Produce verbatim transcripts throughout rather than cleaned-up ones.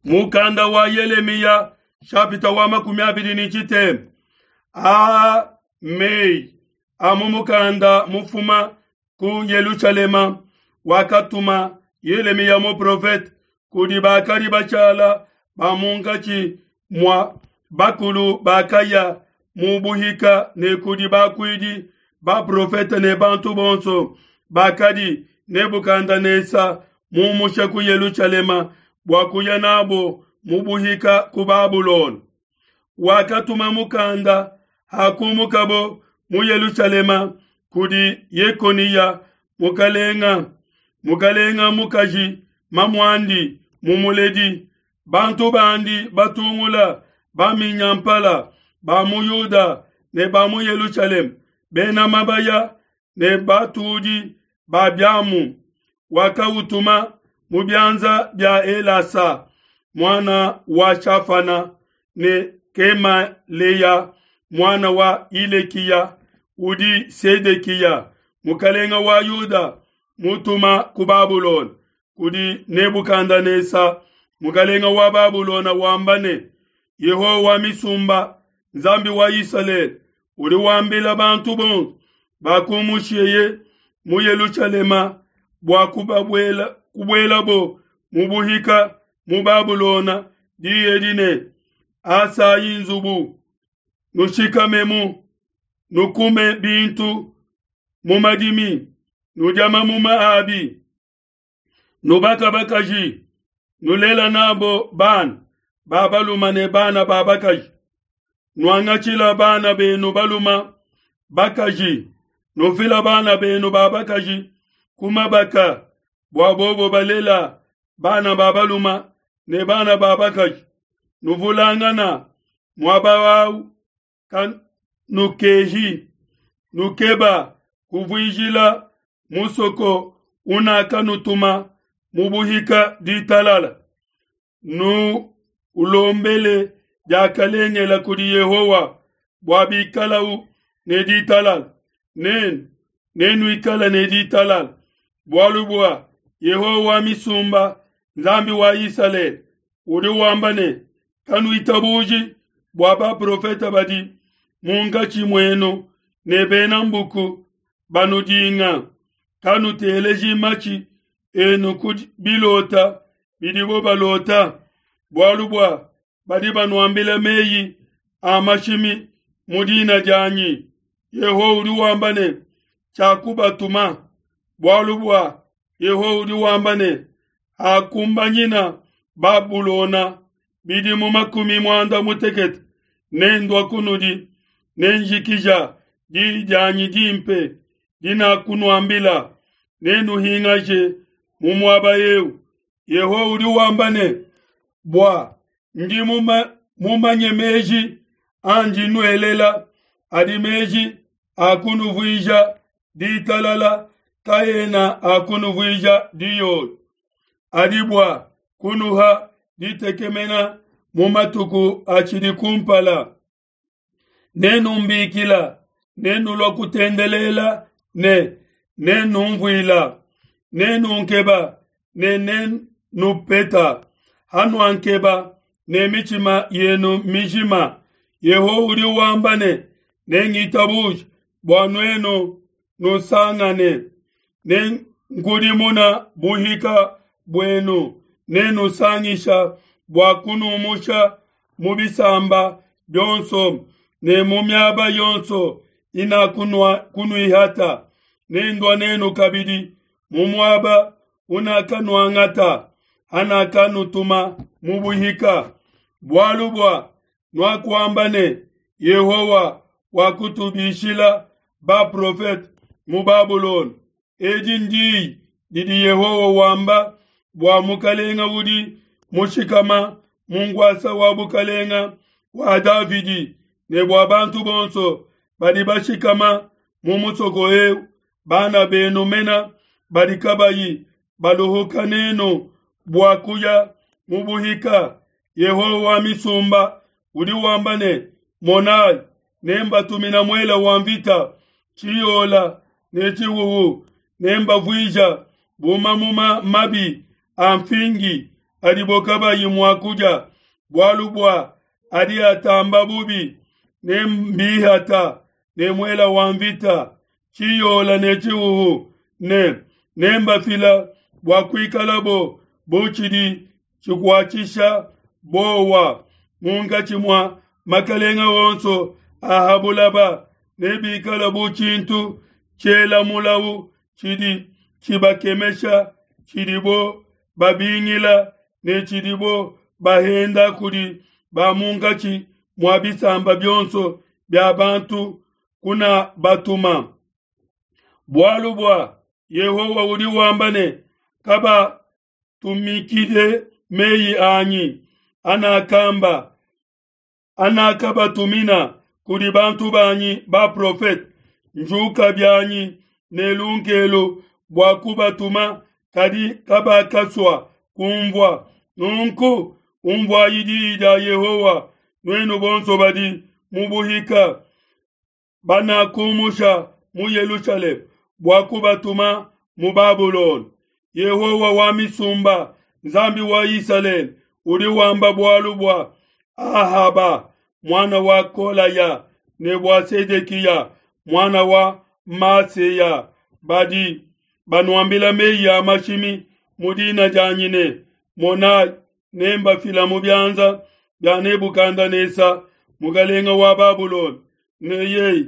Mukanda wa Yelemiya shapita wa makumi abidi ne tshitema aa meyi a mu mukanda mufuma ku Yelushalema wakatuma Yelemiya muprofete kudi bakadi bashala ba munkatshi mua bakulu bakaya mu buhika ne kudi bakuidi baprofete ne bantu bonso bakadi Nebukadenesa mumushe ku Yelushalema bua kuya nabo mu buhika ku Babulona. Wakatuma mukanda hakumukabo mu Yelushalema kudi Yekoniya mukalenga, mukalenga mukaji mamuandi mumuledi, bantu bandi batungula baminyampala ba mu Yuda ne ba mu Yelushalema, bena mabaya ne batudi ba biamu. Wakautuma mu bianza bia Elasa muana wa Shafana ne Kemaleya muana wa Hilekiya udi Sedekiya mukalenga wa Yuda mutuma ku Babulona kudi Nebukadenesa mukalenga wa Babulona wamba ne: Yehowa wa misumba, Nzambi wa Isalele, udi wambila bantu bonso bakumusheye mu Yelushalema bua kubabuela kubuelabo mu buhika mu Babulona diyi edi ne: Asayi nzubu, nushikamemu, nukume bintu mu madimi, nudia mamuma abi, nubaka bakaji, nulela nabo bana ba baluma ne bana ba bakaji, nuangatshila bana benu baluma bakaji, nufila bana benu ba bakaji ku mabaka, bua bobo balela bana ba baluma ne bana ba bakaji, nuvulangana muaba wawu kanukehi, nukeba kuvuijila musoko unakanutuma mu buhika ditalala, nu ulombele diakalengela kudi Yehowa bua bikalau ne ditalala, nenu nenuikale ne ditalala, bualu bua Yehowa wa misumba, Nzambi wa Isalele, udi wamba ne: Kanuitabuji bua baprofete badi munkatshi muenu ne bena mbuku banudinga, kanuteleji matshi enu ku bilota bidibo balota, bualu bua badi banuambila meyi a mashimi mu dina dianyi. Yehowa udi wamba ne: Tshiakubatuma. Bualu bua Yehowa udi wamba ne: Hakumbanyina Babulona bidimu makumi muanda mutekete, nendua kunudi, nenjikija diyi dianyi dimpe dinakunuambila, nenuhingaje mu muaba eu. Yehowa udi wamba ne: Bua ndi mumanye meji andi nuelela, adi meji a kunuvuija ditalala, kaena a kunuvuija diyoyo, adi bua kunuha ditekemena mu matuku atshidi kumpala. Nenumbikila, nenulua kutendelela ne nenumvuila, nenunkeba ne nenupeta, hanuankeba ne mitshima yenu mijima. Yehowa udi wamba ne: Nengitabuje bua nuenu nusangane, nenkudimuna buhika buenu, nenusangisha bua kunumusha mu bisamba bionso ne mu miaba yonso inakunuihata, nendua nenu kabidi mu muaba unakanuangata hanakanutuma mu buhika. Bualu bua nuakuamba ne: Yehowa wakutubishila baprofete mu Babulona. Edi ndiyi didi Yehowa wamba bua mukalenga udi mushikama mu nkuasa wa bukalenga wa Davidi ne bua bantu bonso badi bashikama mu musoko eu, bana benu mena badi kabayi baluhuka nenu bua kuya mu buhika. Yehowa wa misumba udi wamba ne: Monai, nembatumina muele wa mvita, tshiyola ne tshihuhu, nembavuija bu mamuma mabi a mfingi adibo kabayi mua kudia, bualu bua adi atamba bubi. Nembihata ne muela wa mvita, tshiyola ne tshihuhu, ne nembafila bua kuikalabo bu tshidi tshikuatshisha bowa munkatshi mua makalenga onso a ha bulaba. Nebikale bu tshintu tshiela mulawu tshidi tshibakemesha, tshidibo babingila ne tshidibo bahenda kudi ba munkatshi mua bisamba bionso bia bantu kuna batuma. Bualu bua Yehowa udi wamba ne, kabatumikile meyi anyi anakamba anakabatumina kudi bantu banyi baprofete. Njuka bianyi ne lunkelu bua kubatuma, kadi kabakasua kumvua. Nunku umvuayi diyi dia Yehowa, nuenu bonso badi mu buhika banakumusha mu Yelushalema bua kubatuma mu Babulona. Yehowa wa misumba, Nzambi wa Isalele, udi wamba bualu bua Ahaba muana wa Kolaya ne bua Sedekiya muana wa Maseya, badi banuambila meyi a mashimi mu dina dianyi ne, Monayi, nembafila mu bianza bia Nebukadnesa mukalenga wa Babulona, ne yeye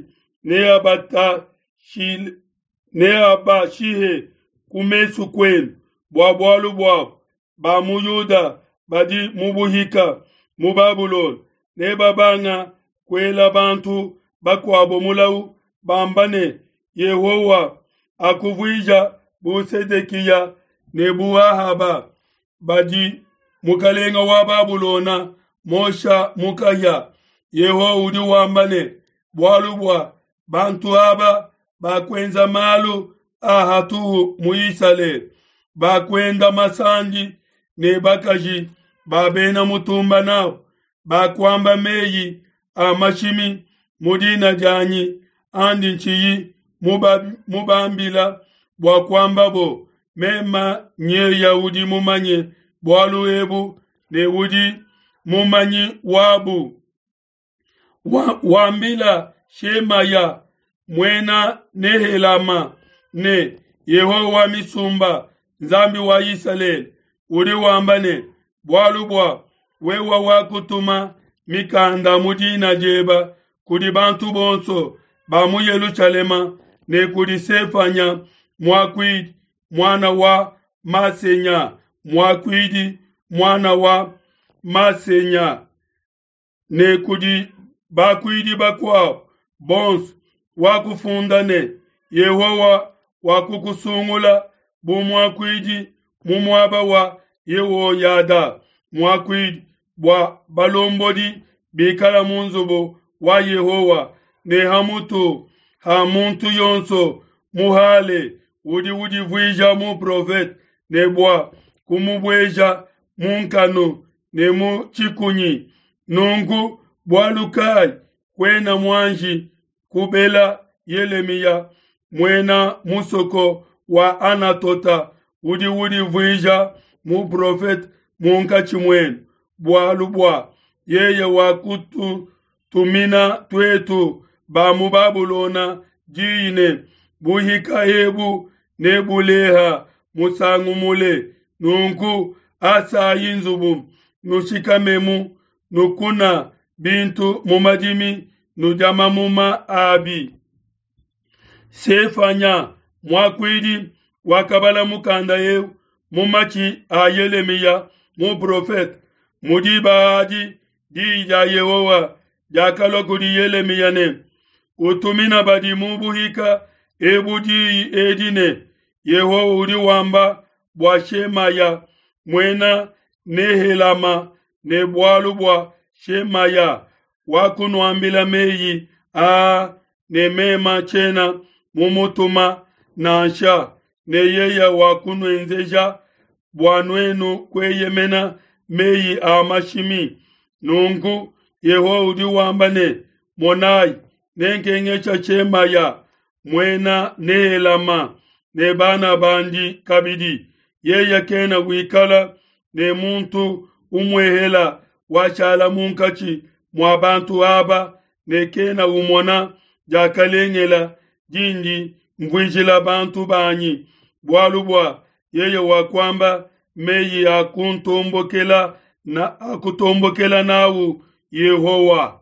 neabashihe ku mesu kuenu. Bua bualu buabo ba mu Yuda badi mu buhika mu Babulona nebabanga kuela bantu bakuabo mulawu, bamba ne, Yehowa akuvuija bu Sedekiya ne bu Ahaba, badi mukalenga wa Babulona mosha mu kahia. Yehowa udi wamba ne, bualu bua bantu aba bakuenza malu a hatuhu mu Isalele, bakuenda masandi ne bakaji ba bena mutumba nabo, bakuamba meyi a mashimi mu dina dianyi andi ntshiyi mubambila bua kuambabo, mema nyeya udi mumanye bualu ebu ne udi mumanyi wabu. Wa, wambila Shemaya muena Nehelama ne, Yehowa wa misumba, Nzambi wa Isalele, udi wamba ne, bualu bua wewe wakutuma mikanda mu dina dieba kudi bantu bonso ba mu Yelushalema ne kudi Sefanya muakuidi muana wa Masenya muakuidi muana wa Masenya ne kudi bakuidi bakuabo bonso, wakufunda ne, Yehowa wakukusungula bu muakuidi mu muaba wa Yehoyada muakuidi, bua balombodi bikala mu nzubu wa Yehowa, ne ha mutu ha muntu yonso muhale udi udivuija muprofete, ne bua kumubueja mu nkanu ne mu tshikunyi. Nunku bualu kai kuena muanji kubela Yelemiya muena musoko wa Anatota udi udivuija muprofete munkatshi muenu, bualu bua yeye wakututumina tuetu ba mu Babulona diyi ne, buhika ebu nebuleha musangu mule. Nunku asayi nzubu, nushikamemu, nukuna bintu mu madimi, nudia mamuma abi. Sefanya muakuidi wakabala mukanda eu mu matshi a Yelemiya muprofete. Mu diba adi diyi dia Yehowa diakalua kudi Yelemiya ne, utumina badi mu buhika ebu diyi edi ne, Yehowa udi wamba bua Shemaya muena Nehelama ne bualu bua Shemaya wakunuambila meyi aa ne mema tshiena mumutuma nansha, ne yeye wakunuenzeja bua nuenu kueyemena meyi a mashimi. Nunku Yehowa udi wamba ne, monayi, nenkengesha Shemaya muena Nehelama ne bana bandi kabidi. Yeye kena wikala ne muntu umuehela washala munkatshi mua bantu aba ne kena umona diakalengela dindi mvuijila bantu banyi, bualu bua yeye wakuamba meyi a kuntombokela na a kutombokela nawu Yehowa.